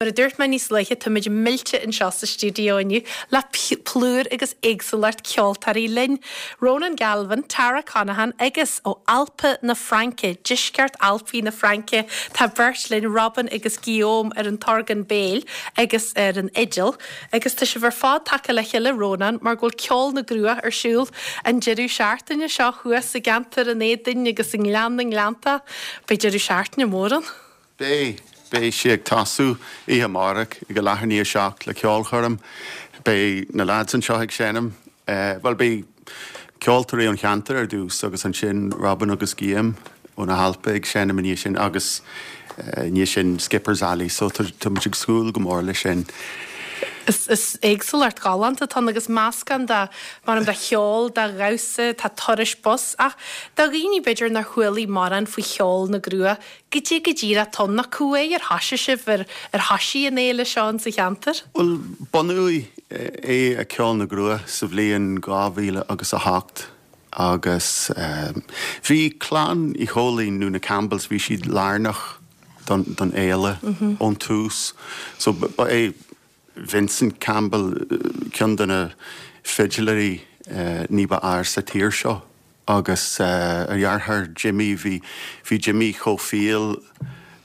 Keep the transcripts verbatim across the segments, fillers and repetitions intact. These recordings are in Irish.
Mar a dúirt mé níos luaithe, táimid millte anseo sa stiúideo inniu le plúr agus éagsúlacht ceoltóirí linn. Ronan Galvin, Tara Conaghan agus ó Alpa na Fraince, deisceart Alpaí na Fraince, tá beirt linn Robin agus Guillaume ar an t-orgán béil agus ar an fhidil. Agus tá sibh ar fad tagtha le chéile Ronan mar go bhfuil ceol na gCruach ar siúl an deireadh seachtaine seo thuas i gceantar an Éadain agus i nGleann na nGleannta. Beidh deireadh seachtaine mór ann. Beidh beidh sé ag tosú oíche amárach ag a leathuair i ndiaidh a seacht le ceolchoirm. Beidh na lads anseo ag seinm. Bhuel beidh ceoltóirí ón cheantar ar dtús agus ansin Robin agus Guillaume ó na hAlpa ag seinm i ndiaidh sin agus i ndiaidh sin Skipper's Alley, so tá muid ag súil go mór leis sin. Is, is éagsúlacht ghalánta atá ann agus meascán de mar de cheol, de dhamhsa, tá turais bus ach do dhaoine b'fhéidir nár chuala mórán faoi cheol na gCruach, goidé go díreach atá ann nó cá huair ar thoisigh sibh ar ar thoisigh an fhéile seo in sa cheantar? Bhuel bunaíodh é a Ceol na gCruach sa bhliain dhá mhíle agus a hocht agus bhí clann Uí Chóilín nó na Campbells, bhí siad lárnach don don fhéile ón tús. So ba é Vincent Campbell ceann de na fidiléirí ní ba fhearr sa tír seo agus a dheartháir Jimmy, bhí bhí Jimmy chomh fial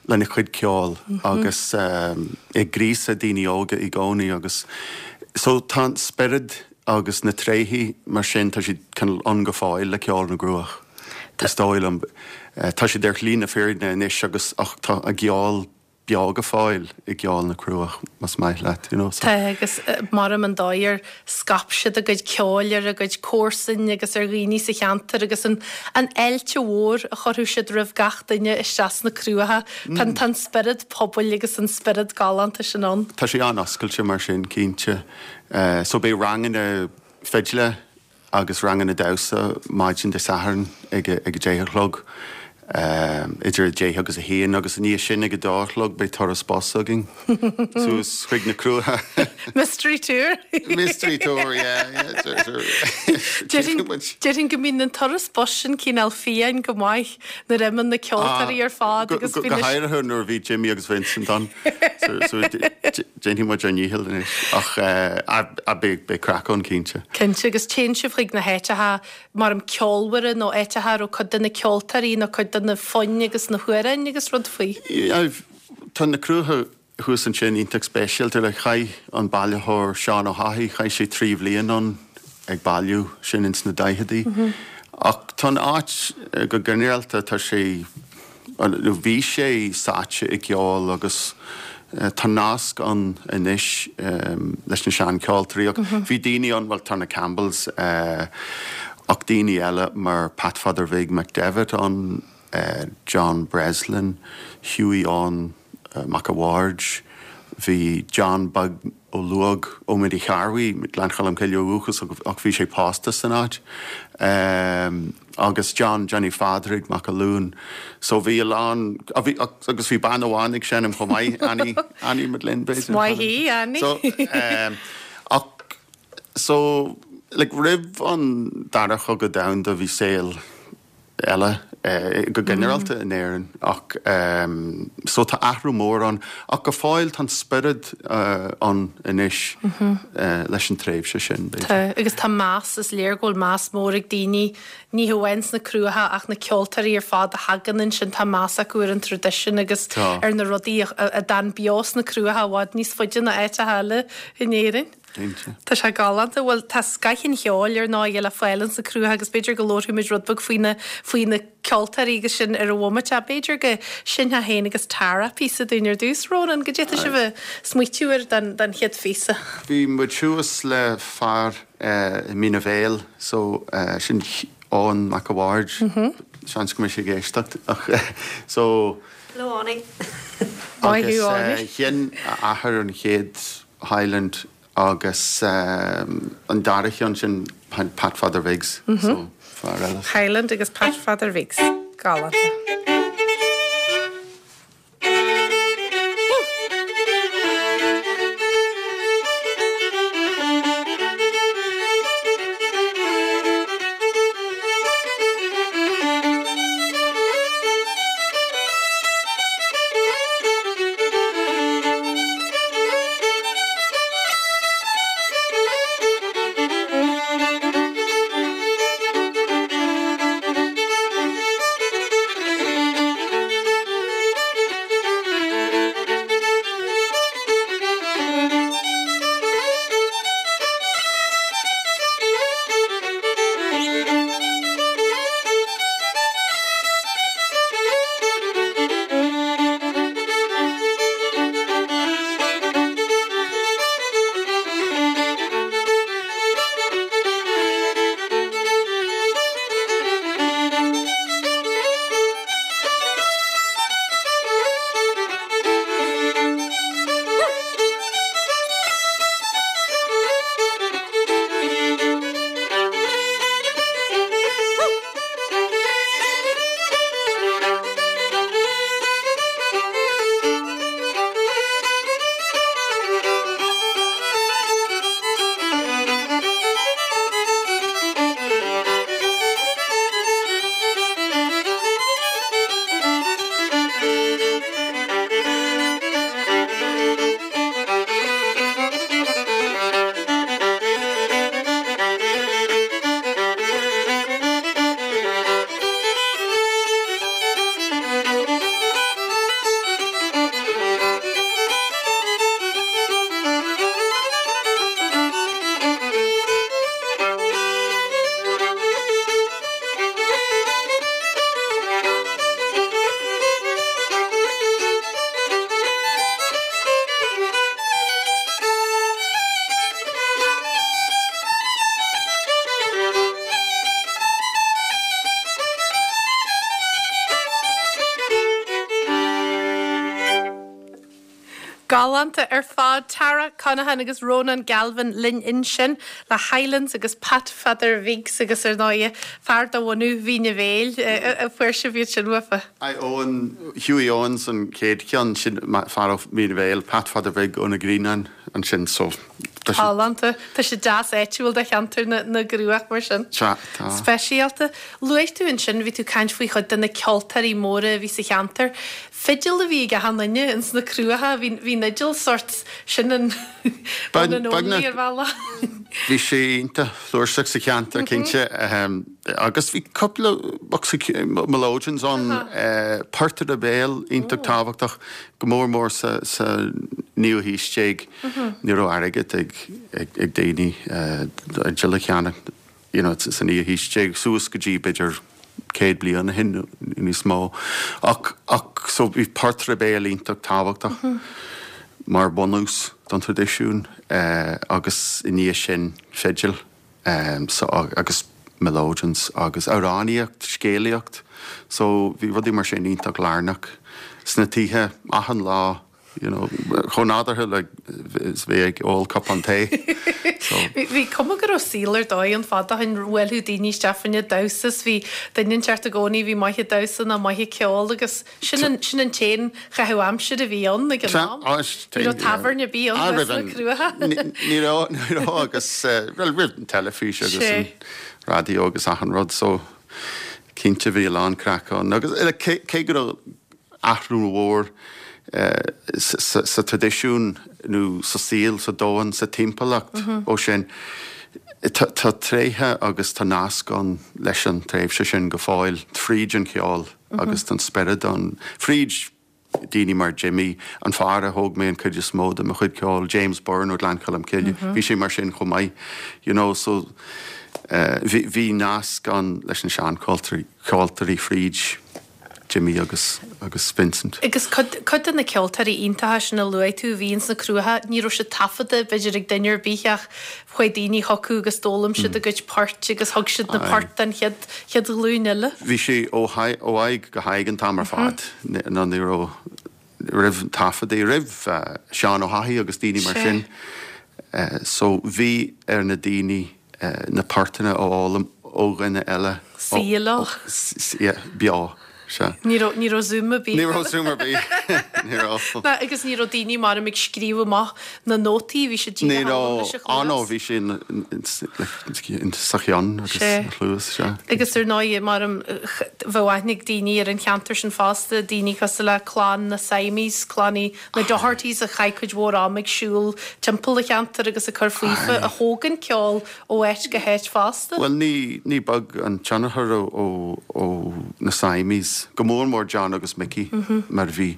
lena chuid ceoil agus ag gríosadh daoine óga i gcónaí agus so tá an spiorad agus na tréithe mar sin tá siad cineál ann go fóill le Ceol na gCruach. Is dóigh liom. Tá siad ar shlí na fírinne anois agus ach tá a gceol beo go fóill i gceol na gCruach más maith leat, you know. Tá agus maram an dóigh ar scaip siad a gcuid ceoil ar a gcuid comharsan agus ar dhaoine sa cheantar agus an an fháilte mhór a chuirfeadh siad roimh gach duine isteach sna Cruacha. Tá tá an spiorad pobail agus an spiorad galánta sin ann. Tá sé an-oscailte mar sin, cinnte. So beidh ranganna fidle agus ranganna damhsa maidin Dé Sathairn ag a ag a deich a chlog, idir a deich agus a haon agus i ndiaidh sin ag a dó a chlog beidh turas bus againn suas chuig na Cruacha. Mystery tour! Mystery tour, yeah, yeah, sure, sure. Déarfainn déarfainn go mbíonn an turas bus sin cineál fiáin go maith nuair a imíonn na ceoltóirí ar fad agus Go bíonn na háirithe nuair a bhí Jimmy agus Vincent ann. So so déanfaidh muid ár ndícheall anois ach beidh beidh craic ann cinnte. Cinnte agus téann sibh chuig na háiteacha mar ceolmhara nó áiteacha a raibh cuid de na ceoltóirí nó cuid de na foinn agus na hamhráin agus rud faoi. Tá na Cruacha thuas ansin iontach speisialta le chaith an bailitheoir Seán Ó hEochaidh, chaith sé trí bhliain ann ag bailiú sin ins na daicheadaí. Ach tá an áit go ginearálta tá sé nó bhí sé sáite i gceol agus tá nasc ann anois leis na seancheoltóirí ach bhí daoine ann, bhuel tá na Campbells ach daoine eile mar Pat Pheadair Bhig McDevitt ann, John Breslin, Hughie Eoin Mac a' Bhaird, bhí John Beag Ó Luóg ó Mhín Uí Chearbhaigh, Gleann Cholm Cille ó dhúchas ach bhí sé pósta san áit, agus John Johnny Phádraig Mac a' Luain. So bhí a lán, bhí, agus bhí bean amháin ag seinm chomh maith, Annie, Annie McGlynn b'fhéidir. Is maith í, Annie. So, ach, so, like roimh an Dara Chogadh Domhanda bhí saol eile go ginearálta in Éirinn ach so tá athrú mór ann ach go fóill tá an spiorad ann anois leis an tréimhse sin b'fhéidir. Tá agus tá meas, is léir go bhfuil meas mór ag daoine, ní hamháin sna Cruacha ach na ceoltóirí ar fad a thagann ansin, tá meas acu ar an traidisiún agus ar na rudaí a d'fhan beo sna Cruacha i bhfad níos faide ná áiteacha eile in Éirinn. Cinnte. Tá sé galánta. Bhuel, tá scoth an cheoil ar ndóigh le fáil ins na Cruacha agus b'fhéidir go labharfaidh muid rud beag faoi na, faoi na ceoltóirí agus sin ar an bhomaite ach b'fhéidir go seinnfeá féin agus Tara píosa dúinn ar dtús. Ronan, goidé tá sibh ag smaoitiú air don, don chéad phíosa? Bhí muid thuas le fear i Mín a' Bhéil so sin Eoin Mac a' Bhaird, seans go mbeidh sé ag éisteacht ach so. Hello Eoiní. Maith thú Agus Eoiní. sheinn a athair an chéad Highland agus an dara ceann sin Pat Pheadair Bhigs so fear eile. Highland agus Pat Pheadair Bhigs. Galánta. Galánta ar fad Tara Conaghan agus Ronan Galvin linn ansin le Highlands agus Pat Pheadair Bhig agus ar ndóigh fear de bhunadh Mhín an Bhéil a fuair sibh iad sin uafa. I Owen Hughie Owens an chéad cheann sin fear ó Mhín an Bhéil Pat Pheadair Bhig ó na Grianáin ansin so Galánta Tá sé deas áitiúil de cheantar na, na gCruach mar sin. Tá tá. Speisialta. Luaigh tú ansin bhí tú caint faoi chuid de na ceoltóirí móra a bhí sa cheantar. Fidil a bhí ag achan duine ins na Cruacha, bhí bhí an fhidil sort sin an Beag- an beagnach- ar bhealach. Bhí sé iontach flúirseach sa cheantar cinnte agus bhí cúpla bosca melodeons ann portaire béil iontach tábhachtach go mór mór sa sa naoú haois déag ní raibh airgead ag ag ag daoine fidil a cheannach you know, sa naoú haois déag suas go dtí b'fhéidir céad bliain ó shin níos mó ach ach so bhí portaire béil iontach tábhachtach mar bunús don traidisiún eh, agus i ndiaidh sin fidil um, so, agus melodeons agus amhránaíocht, scéalaíocht, so bhí rudaí mar sin iontach lárnach sna tithe achan lá you know, chomh nádúrtha le is bheith ag ól cupán tae. So, Bhí cuma go raibh saol ar dóigh an fada an bhfuil daoine Stefania damhsas bhí duine inteacht i gcónaí bhí maith ag damhsa ná maith ag ceol agus sin an sin an t-aon chaitheamh aimsire a bhí ann ag an am. Ní raibh tábhairne bí ann sna Cruacha. Ní raibh ní raibh agus eh, well, roimh an teilifís agus Sé. an raidió agus achan rud so cinnte bhí a lán craic ann agus eh, cé cé go raibh athrú mhór eh, sa sa- sa traidisiún nó sa saol sa domhan sa timpeallacht ó sin tá tá tréithe agus tá nasc ann leis an tréimhse sin go fóill fríd an cheol agus an spiorad an fríd daoine mar Jimmy an fear a thóg mé an chuid is mó de mo chuid ceoil James Byrne ó Ghleann Cholm Cille bhí sé mar sin chomh maith you know so uh, bhí bhí nasc ann leis na seancheoltóirí ceoltóirí fríd Jimmy agus agus Vincent. Agus cuid cuid de na ceoltóirí iontacha sin a luaigh tú bhí ins na Cruacha, ní raibh siad taifeadta b'fhéidir ag duine ar bith ach chuaigh daoine chucu agus d'fhoghlaim siad a gcuid poirt agus thug siad na Aye. poirt den chéad chéad ghlúin eile. Bhí sé ó ó aghaidh go haghaidh an t-am ar fad ná ní raibh roimh taifeadtaí roimh uh, Seán Ó hAithí agus daoine mar Sé. sin. Uh, so bhí ar na daoine uh, na poirteanna a fhoghlaim ó dhuine eile. Saolach. Ó- s- s- yeah, beo. Se. Ní raibh ní raibh Zoom ar bith. Ní raibh Zoom ar bith. Ní raibh. Na, agus ní raibh daoine mar ag scríobh amach na nótaí bhí sé Ní raibh anó bhí sé in- in- in- sa cheann agus Sé. chluas se. Agus ar ndóigh mar bheadh aithne ag daoine ar an cheantar sin fosta daoine cosúil le clann na Siamese, clann na Dohertys a chaith cuid mhór am ag siúl timpeall an cheantar agus ag cur faofa a thóg an ceol ó áit go háit fosta. Well ní ní beag an tionchar ó ó ó na Siamese go mór mór John agus Mickey mm -hmm. mar bhí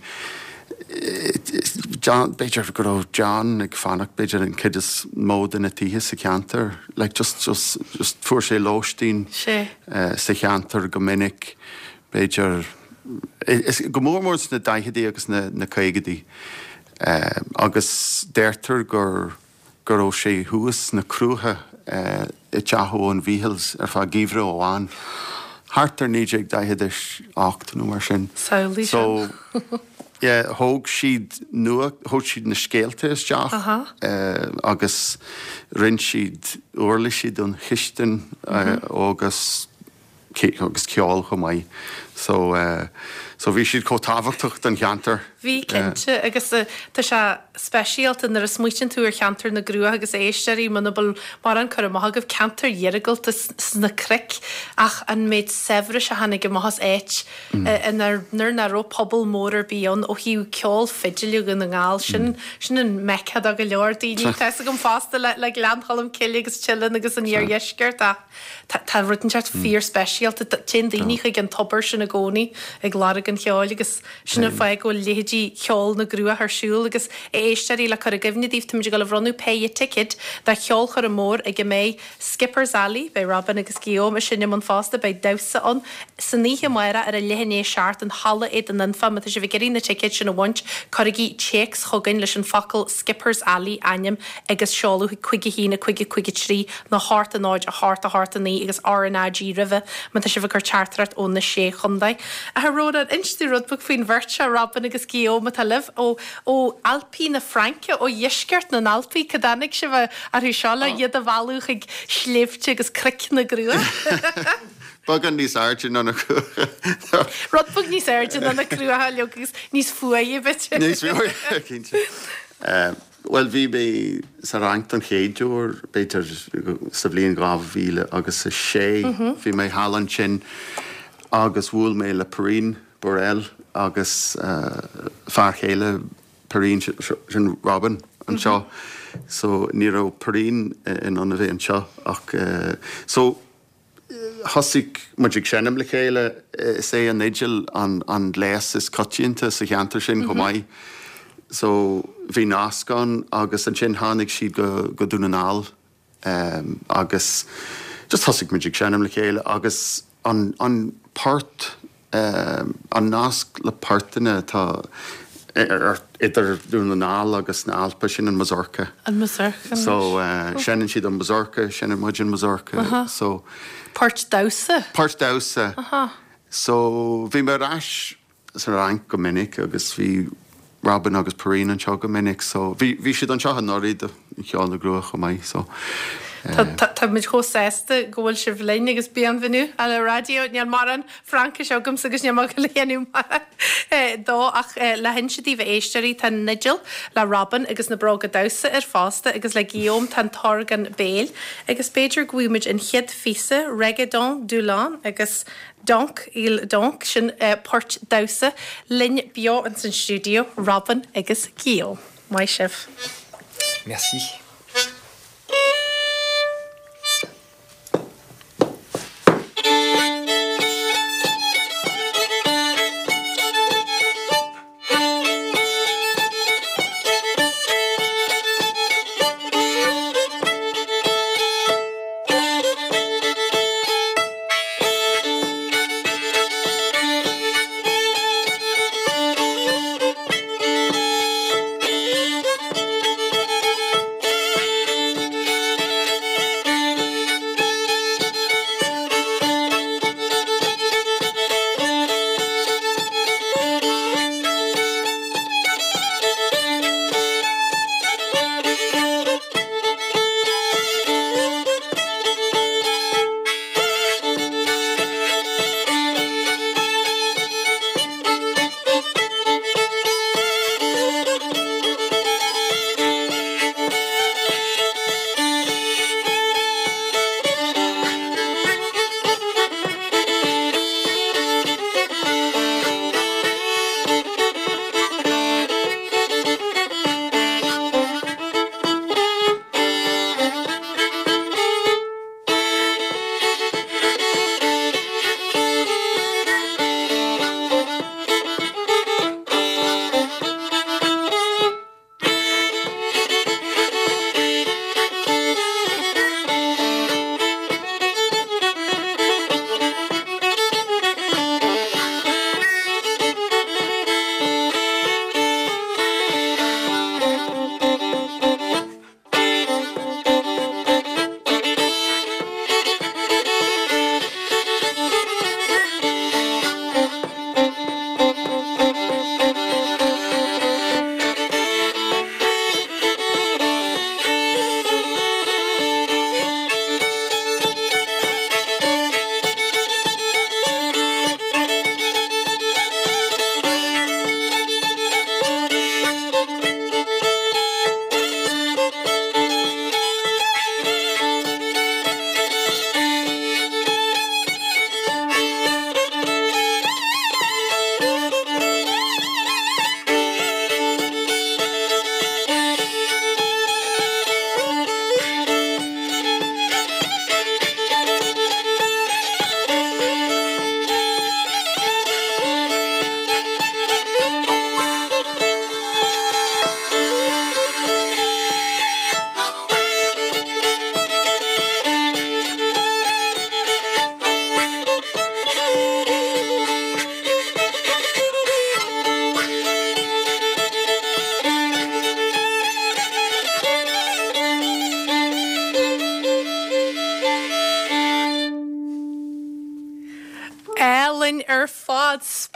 John b'fhéidir go raibh John ag fanacht b'fhéidir an chuid is mó de na tithe sa cheantar like just just just fuair sé lóistín Sé. uh, sa cheantar go minic b'fhéidir is go mór mór sna daicheadaí agus na na caogaidí uh, agus deirtear gur gur raibh sé thuas sna Cruacha uh, i dteach an Mhíchíl ar feadh geimhreadh amháin. Thart ar naoi déag daichead is ocht nó mar sin. Samhlaigh So yeah, thóg siad nua thóg siad na scéalta isteach Aha. uh, agus rinne siad uirlisí don chistin uh, agus ce- agus ceol chomh maith. So uh, so bhí siad chomh tábhachtach don cheantar. Bhí cinnte agus uh, tá sé speisialta nuair a smaoiníonn tú ar cheantar na gCruach agus éisteoirí muna bhfuil mar an cur amach agaibh ceantar iargúlta sna cnoic ach an méid saibhris a tháinig amach as áit inar nuair nach raibh pobal mór ar bith ann ó thaobh ceol fidile Dhún na nGall sin sin an Mecca do go leor daoine Tá gom fosta le le Gleann Cholm Cille agus Teileann agus an iardheisceart ach tá tá rud inteacht fíor speisialta téann daoine chuig an tobar sin i gcónaí ag lorg an cheoil agus sin an fáth go bhfuil leithéidí Cheol na gCruach ar siúl agus éisteoirí le cur i gcuimhne daoibh táimid ag dul a bhronnadh péire ticéad do cheolchoirm mór ag a mbeidh Skipper's Alley, beidh Robin agus Guillaume ag seinm ann fosta beidh damhsa ann san oíche amárach ar a leath i ndiaidh a seacht in Halla Éadain Anfa má tá sibh ag iarraidh na ticéid sin a bhaint cuirigí téacs chugainn leis an focal Skipper's Alley ainm agus seoladh cúig a haon a cúig a cúig a trí nó a hocht a náid a hocht a hocht a naoi agus RnaG roimhe má tá sibh ag cur teachtaireacht ó na sé chontae. Chontae. A Rónán, inis dúinn rud beag faoin bheirt seo Robin agus Guillaume atá libh ó ó Alpaí na Fraince ó dheisceart na nAlpaí cá dtáinig sibh orthu seo le iad a mhealladh chuig sléibhte agus cnoic na gCruach. Beagán níos airde ná na Cruacha. Rud beag níos airde ná na Cruacha le agus níos fuaire b'fhéidir. Níos fuaire cinnte. Well bhí mé sa Fhrainc don chéad uair b'fhéidir sa bhliain dhá mhíle agus a sé bhí mé thall ansin agus bhuail mé le Perrine Borel agus fear chéile Perrine sin Robin anseo. So ní raibh Perrine in ann a bheith anseo ach so thosaigh muid ag seinm le chéile is é an fhidil an an gléas is coitianta sa cheantar sin chomh maith. So bhí nasc ann agus ansin tháinig siad go go Dún na nGall um, agus just thosaigh muid ag seinm le chéile agus an an port um, an nasc le portanna atá idir Dún na nGall agus na Alpa sin an mazurka. An mazurka. So uh, seinneann siad an mazurka, seinneann muid an mazurka. So Port damhsa. Port damhsa. So bhí mé ar ais sa Fhrainc go minic agus bhí Robin agus Perrine anseo go minic, so bhí bhí siad anseo anuraidh do Cheol na gCruach chomh maith so. Tá muid chomh sásta go bhfuil sibh linn agus bienvenue à la radio níl mórán Fraincis agamsa agus níl le dhéanamh mar dó ach le hinse daoibh a éisteoirí tá an fhidil le Robin agus na bróga damhsa air fosta agus le Guillaume tá an t-orgán béil agus b'fhéidir go bhfuil muid an chéad phíosa Reggaeton Dulon agus Donc il Donc sin port damhsa linn beo in san stiúideo Robin agus Guillaume. Maith sibh. Merci. Thank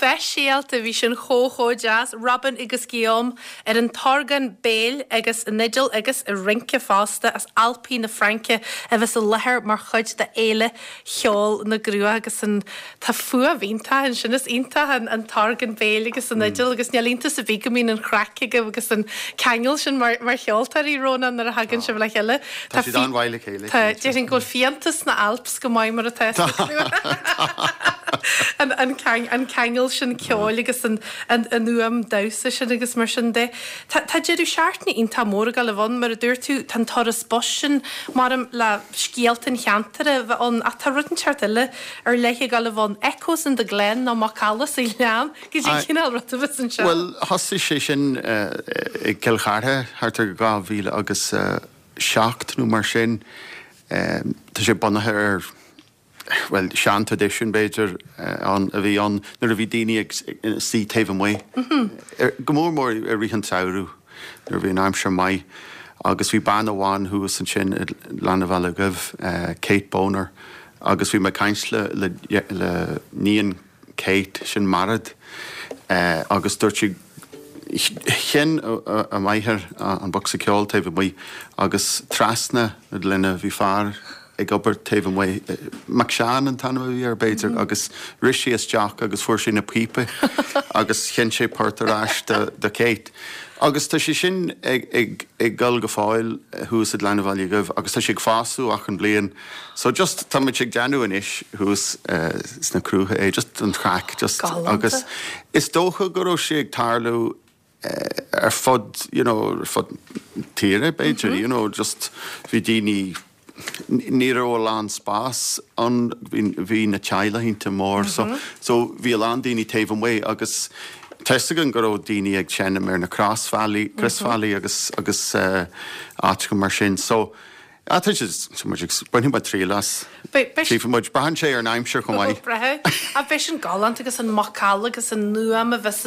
Speisialta bhí sin chomh chomh deas, Robin agus Guillaume ar an t-orgán béil agus an fhidil agus ag rince fosta as Alpaí na Fraince a bheas i láthair mar chuid de Fhéile Cheol na gCruach agus an tá fuaim iontach ansin is iontach an an t-orgán béil agus an fhidil agus níl iontas ar bith go mbíonn an chraic agaibh agus an ceangal sin mar mar cheoltóirí Rónán nuair a thagann sibh le chéile. Tá siad an-mhaith le chéile. Tá déarfainn go bhfuil fiántas sna Alps go maith mar atá an an an ceangal sin ceoil agus an an an fhuaim damhsa sin agus mar sin de. Tá tá deireadh seachtaine iontach mór ag dul a bheith ann mar a dúirt tú tá an turas bus sin maram le scéalta an cheantair a bheith ann ach tá rud inteacht eile ar leith ag dul a bheith ann Echoes in the Glen nó Macalla sa ghleann go dtí cineál rud a bheas anseo. Bhuel thosaigh sé sin i gCill Chartha thart ar dhá mhíle agus seacht nó mar sin. Tá sé bunaithe ar well sean-traidisiún b'fhéidir ann a bhí ann nuair a bhí daoine ag suí taobh amuigh. Go mór mór i rith an tsamhraidh nuair a bhí an aimsir maith agus bhí bean amháin thuas ansin i Gleann an Bhealaigh Dhuibh, Kate Boner, agus bhí mé ag caint le le le níon Kate sin Mairead agus dúirt sí sheinn a máthair an bocsa ceoil taobh amuigh agus trasna na gloine bhí fear ag obair taobh amuigh, Mac Seáin an t-ainm a bhí air b'fhéidir, agus rith sé isteach agus fuair sé na píopaí agus sheinn sé port ar ais do do Kate. Agus tá sé sin ag ag ag dul go fóill thuas i Gleann an Bhealaigh Dhuibh agus tá sé ag fás achan bliain. So just tá muid ag déanamh anois thuas sna Cruacha é, just an chraic, just agus is dócha go raibh sé ag tarlú ar fud you know ar fud tíre b'fhéidir, you know just bhí daoine ní raibh a lán spás ann, bhí na teaghlaigh iontach mór so so bhí a lán daoine taobh amuigh agus tá fhios againn go raibh daoine ag seinm ar na crosbhealaí, crosbhealaí agus agus áiteacha mar sin so ah tá sé tá muid ag bainfidh muid triail as. Tchífidh muid, braitheann sé ar an aimsir chomh maith. Braitheann. Ach beidh sin galánta agus an macalla agus an fhuaim a bheas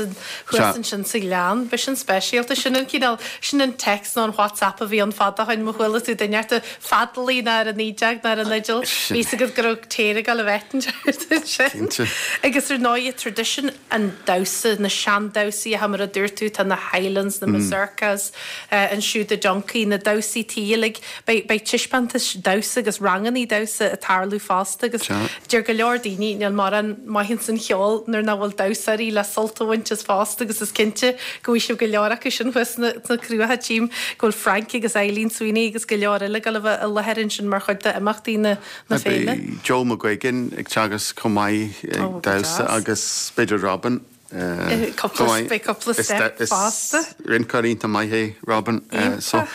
thuas ansin sa ghleann. Beidh sin speisialta. Sin an cineál, sin an text nó an WhatsApp a bhí ann fad ó shin má chuala tú duine ort ag feadalaigh ná ar an fhídeog ná ar an fhidil. Bhí fhios agat go raibh téar ag dul a bheith ansin. Cinnte. Agus ar ndóigh traidisiún an damhsa, na seandamhsaí mar a dúirt tú, tá na Highlands, na Mazurkas, ansiúd i dToncaí, na damhsaí tí uilig. Beidh, beidh taispeántais damhsa agus rangannaí damhsa ag tarlú fosta agus deir go leor daoine níl mórán maith ins an cheol nuair nach bhfuil damhsóirí le sult a bhaint as fosta agus is cinnte go bhfaighidh sibh go leor acu sin thuas sna, sna Cruacha. Tchím go bhfuil Frank agus Eileen Sweeney agus go leor eile ag dul a bheith i láthair ansin mar chuid d'imeachtaí na, na féile. Beidh Joe McGuigan ag teagasc chomh maith ag Ó, go damhsa deas. agus b'fhéidir Robin. Cúpla, beidh cúpla step fosta. Is rinceoir iontach maith é Robin. So,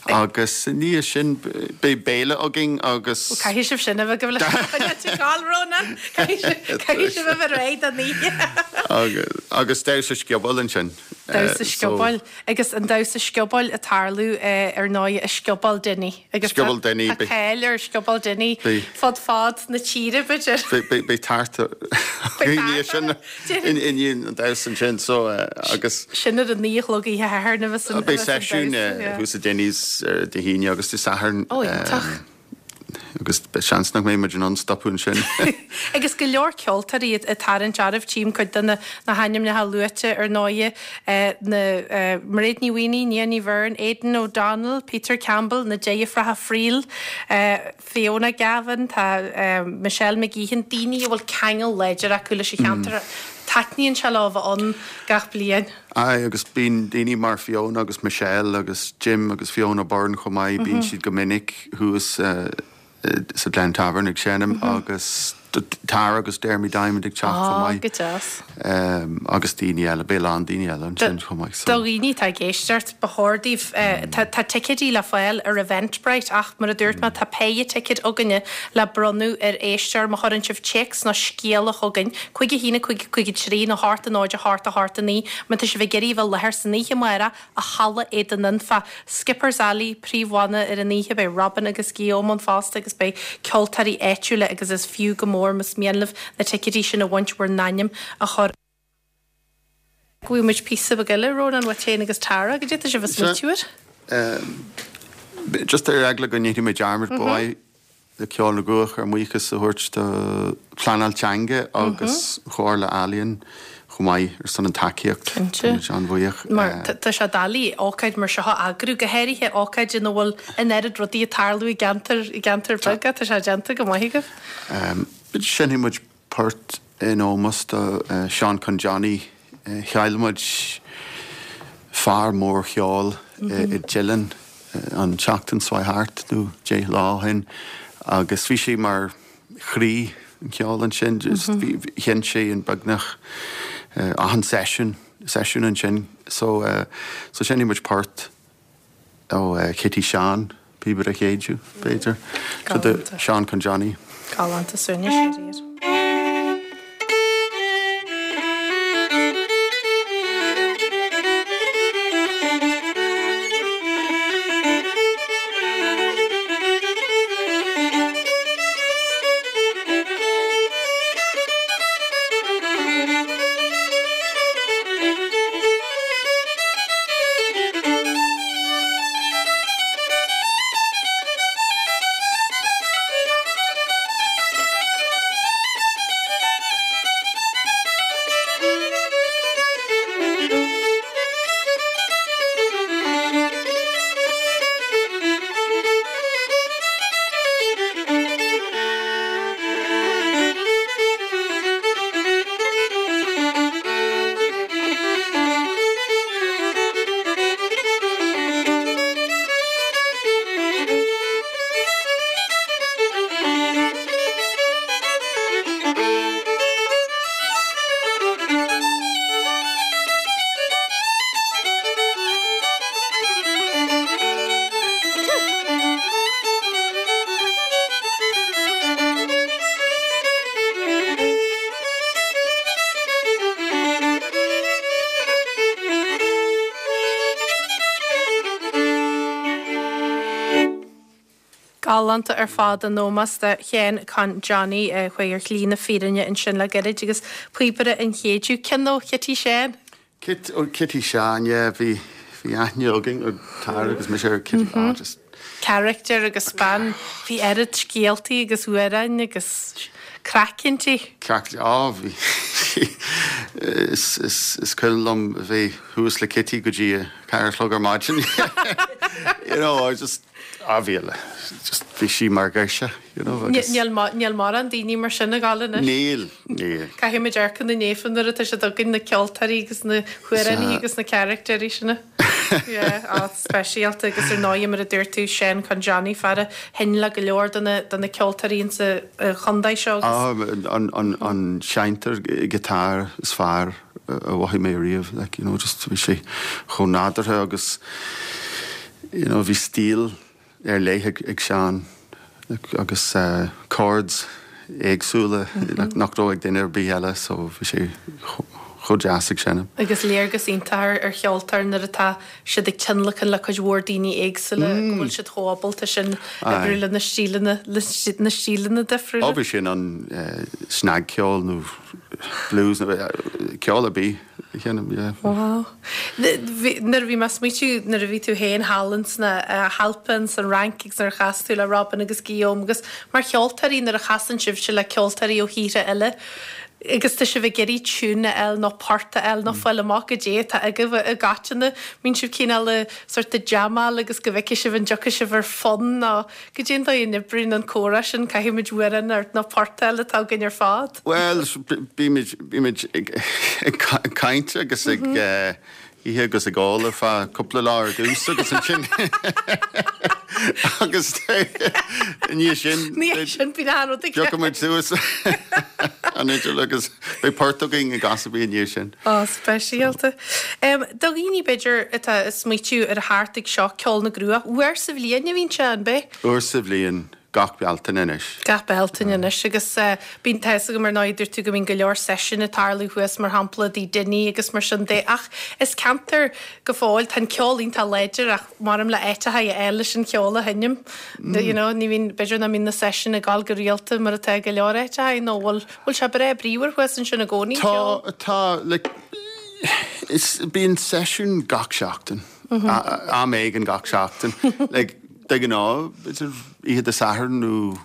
agus i ndiaidh sin beidh béile againn agus. Ó caithfidh sibh sin a bheith agaibh leis an choinne gabháil Rónán! Caithfidh sibh a bheith réidh don oíche. Agus damhsa sciobóil ansin. Damhsa sciobóil. Agus an damhsa sciobóil ag tarlú ar ndóigh i Scioból Dinny. Agus Scioból Dinny. Tá cáil ar Scioból Dinny fud fad na tíre b'fhéidir. Beidh tart i ndiaidh sin i ndiaidh an damhsa ansin so agus. Sin ar a naoi a chlog oíche Shathairn a bheas an Beidh seisiún thuas i Dinny's Dé hAoine agus Dé Sathairn. Ó iontach. Agus seans nach mbeidh muid in ann stopadh ansin. Agus go leor ceoltóirí ag tarraingt oraibh, tchím cuid de na hainmneacha luaite ar ndóighe, na Mairéad Ní Mhaonaigh, Nia Ní Bheirn, Aidan O'Donnell, Peter Campbell, na deirfiúracha Friel, Fiona Gavin, tá Michelle McGeehan, daoine a bhfuil ceangal láidir acu leis an cheantar. Taitníonn sé leo a bheith ann gach bliain. Aye, agus bíonn daoine mar Fiona agus Michelle agus Jim agus Fiona Byrne chomh maith, bíonn siad go minic thuas sa Glen Tavern ag seinm agus Tara agus Dermy Diamond ag teacht chomh maith. Go deas. Agus daoine eile, beidh a lán daoine eile ansin chomh maith. Do dhaoine atá ag éisteacht, ba chóir daoibh, tá ticéidí le fáil ar Eventbrite ach mar a dúirt mé, tá péire ticéad againne le bronnadh ar éisteoir má chuireann sibh téacs nó scéala chugainn, cúig a haon a cúig a cúig a trí nó a hocht a náid a hocht a hocht a naoi, má tá sibh ag iarraidh a bheith i láthair san oíche amárach i Halla Éadain Anfa. Skippers Alley, príomhbhanna ar an oíche, beidh Robin agus Guillaume ann fosta agus beidh ceoltóirí áitiúla agus is fiú go mór más mian libh na ticéidí sin a bhaint bhur n-ainm a chur. Go bhfaighidh muid píosa beag eile, Rónán, uait féin agus Tara, goidé atá sibh ag smaoitiú air. Just ar eagla go ndéanfaidh mé dearmad, ba mhaith le Ceol na gCruach ár mbuíochas a thabhairt do Pleanáil Teanga agus Chomhairle Ealaíon chomh maith ar son an tacaíocht. Cinnte. Táimid an-bhuíoch. Mar tá sé doiligh ócáid mar seo a eagrú, go háirithe ócáid ina bhfuil an oiread rudaí ag tarlú i gceantar i gceantar beag. Tá sé déanta go maith agaibh. Seinnfidh muid port in ómós do Seán Con Johnny. Chaill muid fear mór cheoil i Dillon an tseachtain seo thart nó deich lá ó shin agus bhí sé mar chroí an cheoil ansin. Sheinn sé in beagnach achan seisiún seisiún ansin. So so seinnfidh muid port ó Chití Seán, Píobaire Chéideadh, b'fhéidir. So do Seán Con Johnny. Galánta suaimhneas síoraí air. Galánta ar fad in ómós do Sheán Con Johnny a chuaigh ar shlí na fírinne ansin le gairid agus Píobaire an Chéideadh. Ceann ó Chití Seán? Cit, ó Chití Seán, yeah, bhí, bhí aithne againn ar Tara agus mise ar Kitty, mm -hmm. oh, just Character agus bean, bhí oiread scéaltaí agus amhráin agus craic inti. Craic, á, bhí, is, is, is cuimhin liom a bheith thuas le Kitty go dtí a ceathair a chlog ar maidin. You know, I just, á, bhí, just bhí sí mar ghirseach, you know, agus. Níl, níl mórán daoine mar sin ag gabháil anois. Níl, níl. Caithfidh muid amharc chun na naofa nuair atá siad againn, na ceoltóirí agus na hamhránaithe agus na caractéirí sin. Yeah, á, speisialta agus ar ndóigh mar a dúirt tú Seán Con Johnny fear a sheinn le go leor de na, de na ceoltóirí insa chontae seo agus. Á, an, an, an seinnteoir guitar is fearr a mhothaigh mé riamh, like, you know, just bhí sé chomh nádúrtha agus, you know, bhí stíl ar leith ag, ag Seán agus uh, chords éagsúla mm -hmm. nach raibh ag duine ar bith eile, so bhí sé chomh deas ag seinm. Agus léargas iontach ar cheoltóir nuair atá siad ag tionlacan le cuid mhór daoine éagsúla mm. go bhfuil siad chomh ábalta sin oibriú le na stíleanna na stíleanna difriúla. Ó bhí sin an uh, snagcheol nó blues nó ceol ar bith a sheinm, yeah. Wow. Nuair a bhí mé ag smaoitiú nuair a bhí tú féin thall sna hAlpa san Fhrainc agus nuair a chas tú le Robin agus Guillaume agus mar cheoltóirí nuair a chasann sibhse le ceoltóirí ó thíortha eile agus tá sibh ag iarraidh tiún a fháil nó port a fháil nó fáil amach goidé atá agaibh i gcoitinne, mbíonn sibh cineál sort ag jamáil agus go bhfeicfidh sibh an dtiocfaidh sibh ar fonn nó goidé an dóigh a n-oibríonn an comhrá sin, caithfidh muid amhrán nó port a fháil atá againn ar fad. Bhuel, bímid, bímid ag, ag caint agus ag ithe agus ag ól ar feadh cúpla lá ar dtús agus ansin agus i ndiaidh sin Ní sin bíonn an rud ag Piocfaidh muid suas an fhidil agus beidh port againn ag gach bhí i ndiaidh sin. Ó, speisialta. Um, do dhaoine b'fhéidir atá ag smaoitiú ar theacht ag seo Ceol na gCruach, uair sa bhliain a bhíonn sé, an b'ea? Uair sa bhliain. Gach Bealtaine anois. Gach Bealtaine anois agus bíonn, tá fhios agam ar ndóigh, dúirt tú go mbíonn go leor seisiún ag tarlú thuas, mar shampla, i dTigh Dinny agus mar sin de ach is ceantar go fóill, tá an ceol iontach láidir ach maram le áiteacha a fháil leis an cheol a sheinm. You know, ní bhíonn, b'fhéidir nach mbíonn na seisiúin ag gabháil go rialta mar atá i go leor áiteacha nó bhfuil, bhfuil sé breá bríomhar thuas ansin i gcónaí, an ceol? Tá, tá, like, is, bíonn seisiún gach seachtain, am éigin gach seachtain. Like, De ghnáth, b'fhéidir oíche Dé Sathairn nó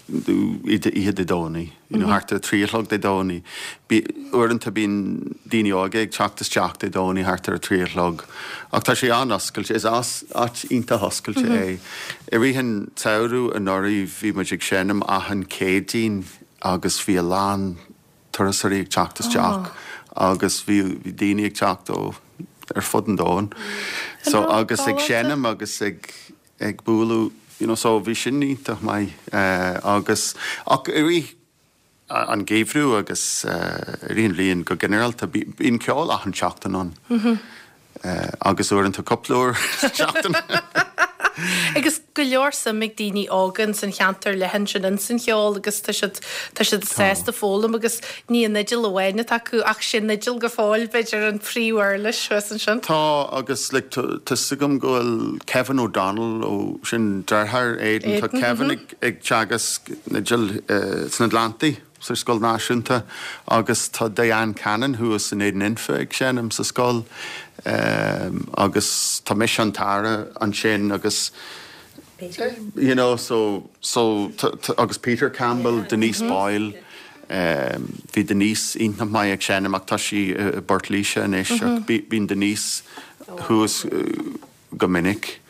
oíche Dé Domhnaigh, you know, thart ar a trí a chlog Dé Domhnaigh. Uaireanta bíonn daoine óga ag teacht isteach Dé Domhnaigh thart ar a trí a chlog. Ach tá sé an-oscailte, is áit iontach oscailte é. I rith an tsamhraidh anuraidh bhí muid ag seinm achan Céadaoin agus bhí a lán turasóirí ag teacht isteach agus bhí daoine ag teacht ó ar fud an domhain. So agus ag seinm agus ag ag bualadh you know, so bhí sin iontach maith uh, agus ach i rith an geimhreadh agus uh, i rith an bhliain go ginearálta bíonn ceol achan seachtain ann. Mm -hmm. uh, agus uaireanta cúpla uair seachtain. Agus go leor suim ag daoine óga san cheantar leathan sin in san cheol agus tá siad tá siad sásta foghlaim agus ní an fhidil amháin atá acu ach sin fhidil go fóill b'fhéidir an príomhuirlis thuas ansin. Tá agus like, tá agam go bhfuil Kevin O'Donnell ó sin deartháir Aidan tá Kevin ag, ag teagasc na fidil uh, san Atlantaigh sa scoil náisiúnta agus tá Diane Cannon thuas in Éadan Infa ag seinm sa scoil um, agus tá mise and Tara ansin agus Peter. you know so so agus Peter Campbell yeah. Denise mm -hmm. Boyle um, bhí Denise iontach maith ag seinm ach tá sí uh, Bort Líse anois mm -hmm. bíonn Denise thuas uh, go minic.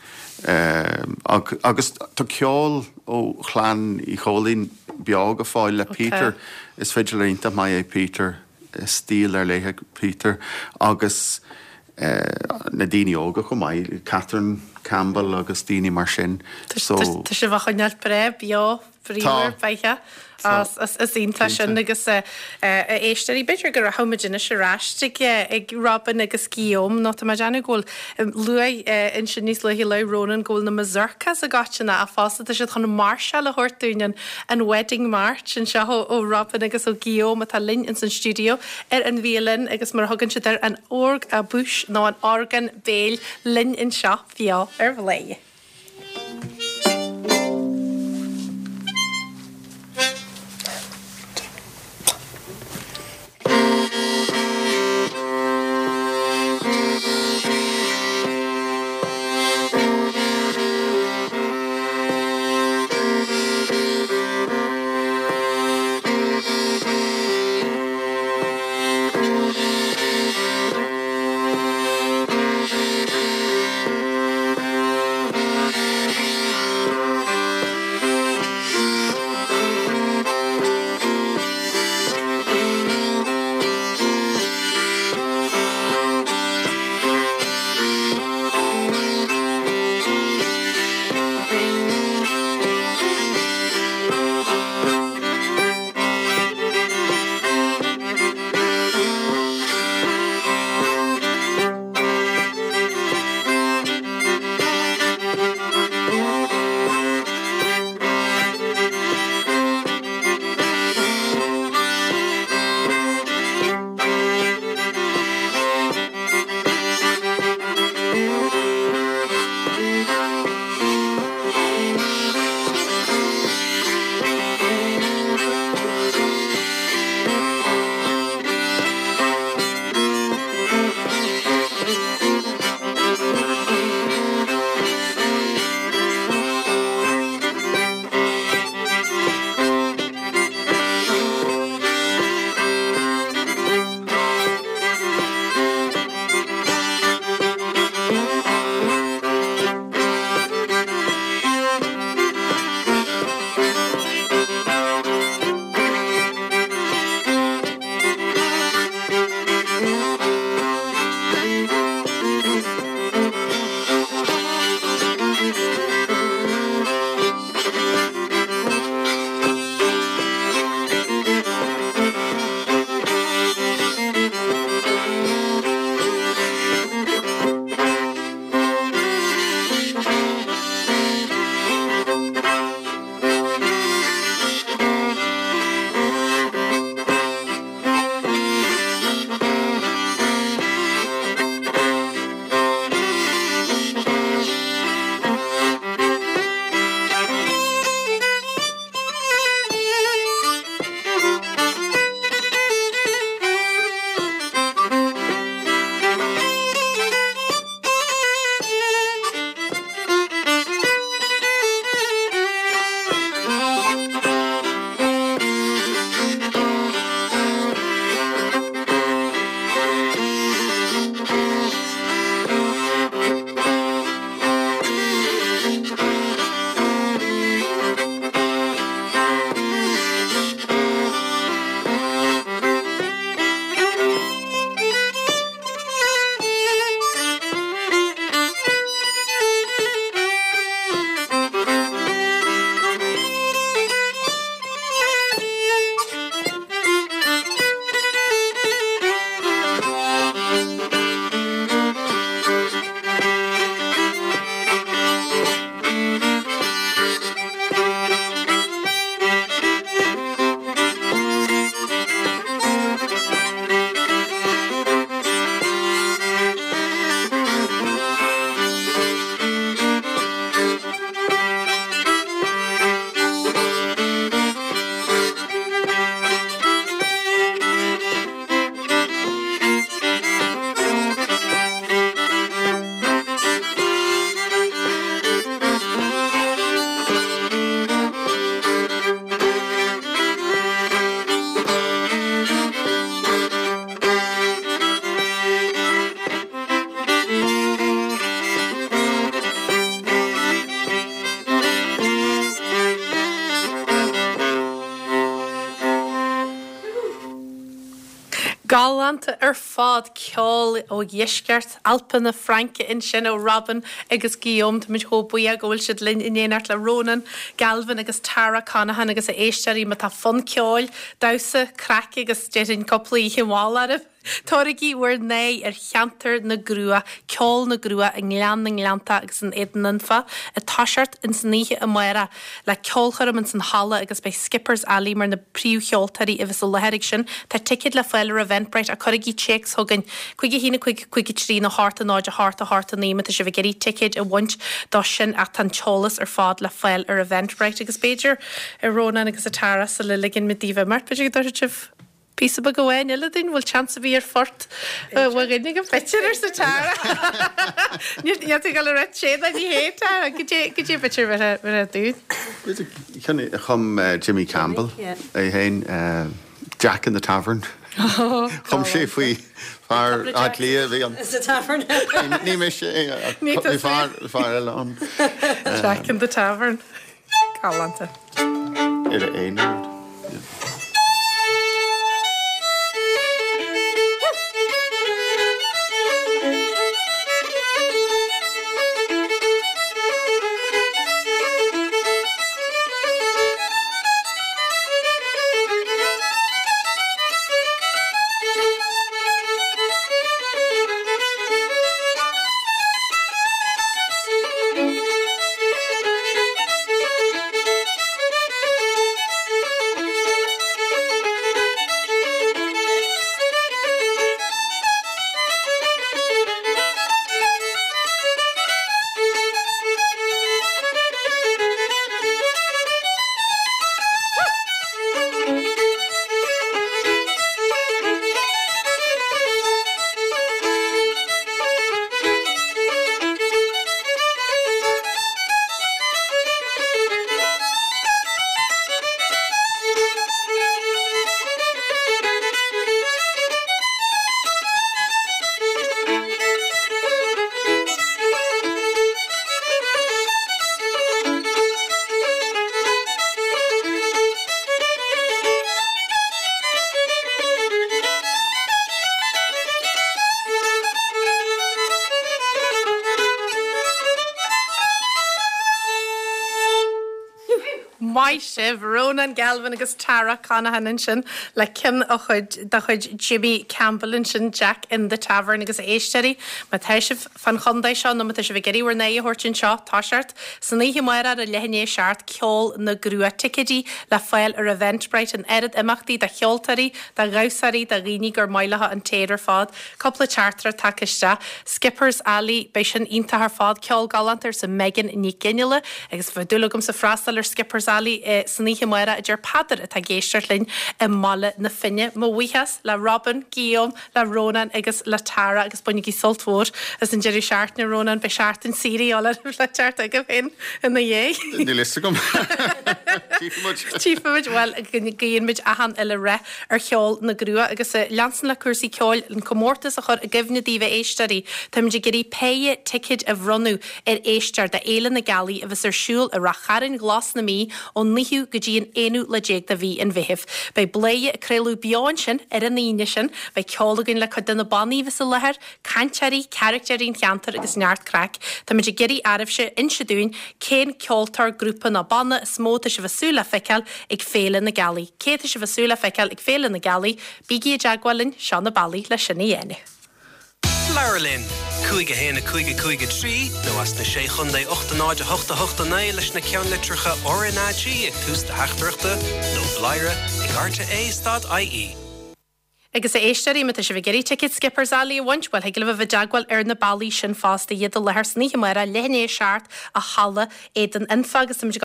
Um, agus tá ceol ó chlann Uí Chóilín beo go fóill le Peter is fiddler iontach maith é Peter stíl ar leith Peter agus uh, na daoine óga chomh maith Catherine Campbell agus daoine mar sin so Tá sé bhachoineáil bre beo bríomhar beiche is iontach sin agus a éisteoirí b'fhéidir go rachaimid anois ar ais ag ag Robin agus Guillaume nó tá mé ag déanamh go bhfuil luaigh ansin níos luaithe le Ronan go bhfuil na mazurkas a gána a fásta tá siad chun máirseáil a thabhairt dúinn an an Wedding March anseo ó Robin agus ó Guillaume atá linn in san studio ar an violin agus mar thugann siad ar an orgue à bouche nó an orgán béil linn anseo beo ar Bhladhaire. Galánta ar fad ceol ó dheisceart Alpa na Fraince ansin ó Robin agus Guillaume Táimid chomh buíoch go bhfuil siad linn in éineacht le Ronan, Galvin agus Tara Conaghan agus a éisteoirí má tá fonn ceoil, damhsa, craic agus déarfainn cúpla oíche mhall oraibh. Tabhairigí bhur n-aghaidh ar cheantar na gCrua, ceol na gCrua i nGleann na nGleannta agus in Éadan Anfa, ag toiseacht ins an oíche amárach le ceolchoirm ins an halla agus beidh Skippers Alley mar na príomhcheoltóirí a bheas i láthair ag sin. Tá ticéid le fáil ar Eventbrite ach cuirigí téacs chugainn cúig a haon a cúig cúig a trí nó hocht a náid a hocht a hocht a naoi má tá sibh ag iarraidh ticéid a bhaint dó sin ach tá an t-eolas ar fad le fáil ar Eventbrite agus b'fhéidir a Rónán agus a Tara sula ligeann muid daoibh imeacht b'fhéidir go dtabharfaidh sibh píosa beag amháin eile dúinn bhfuil seans a bhí ar phort dhuine go b'fhéidir arsa Tara. Níl tú le rá sé ní hé Tara go dé go dé b'fhéidir bheith dúinn. Ceann a chum Jimmy Campbell é féin Jack in the Tavern. Chum sé faoi fear Átha Cliath bhí an Sa tavern. Ní mé sé Ní bhí fear fear eile ann Jack in the Tavern. Galánta. ar a aon. Maith sibh Ronan Galvin agus Tara Conaghan ansin le ceann a chuid de chuid Jimmy Campbell ansin Jack in the Tavern agus éisteoirí má tá sibh fan chontae seo nó má tá sibh ag iarraidh bhur n-aghaidh a thabhairt anseo toiseacht san oíche amárach ar a leath i ndiaidh a seacht ceol na gCrua ticéidí le fáil ar Eventbrite an oiread imeachtaí do cheoltóirí, do dhamhsóirí, do dhaoine gur maith leo an t-aer ar fad. Cúpla teachtaireacht tagtha isteach. Skippers Alley beidh sin iontach ar fad ceol galánta arsa Megan Ní Ginnealla agus bheadh dúil agamsa freastal ar Skippers Alley eh, san oíche amárach a deir Peadar atá ag éisteacht linn i mBaile na Finne. Mo bhuíochas le Robin, Guillaume, le Ronan agus le Tara agus bainigí sult mhór as an deireadh seachtaine Ronan beidh seachtain saoire le le teacht agaibh féin ina dhiaidh. Níl a fhios agam. Tífimid bhuel guímid achan uile rath ar cheol na gCrua agus leansan le cúrsaí ceoil an comórtas a chur i gcuimhne daoibh a éisteoirí, Táimid ag iarraidh péire ticéid a bhronnadh ar éisteoir do Fhéile na Gealaí a bheas ar siúl i Rath Chairn Ghlas na Mí ón naoú go dtí an aonú lá déag de mhí an Mheithimh. Beidh Bladhaire ag craoladh beo ansin ar an Aoine sin, beidh ceol againn le cuid de na bannaí a bheas i láthair, cainteoirí, carachtéirí an cheantair agus neart craic. Táimid ag iarraidh oraibhse inse dúinn cén ceoltóir, grúpa nó banna is mó atá sibh ag súil le feiceáil ag Féile na Gealaí. Cé atá sibh ag súil le feiceáil ag Féile na Gealaí? Bígí i dteagmháil linn, seo na bealaí le sin a dhéanamh. Labhair linn, cúig a haon a cúig a cúig a trí nó as na sé chontae ocht a náid a hocht a hocht a naoi leis na ceannlitreacha RnaG ag tús do theachtaireachta nó bladhaire ag rte stad IE. Agus a éisteoirí má tá sibh ag iarraidh ticéad Skippers Alley a bhaint, bhuel thig libh a bheith i dteagmháil ar na bealaí sin fosta iad i láthair san oíche amárach leath i ndiaidh a seacht i halla Éadan Anfa agus táimid ag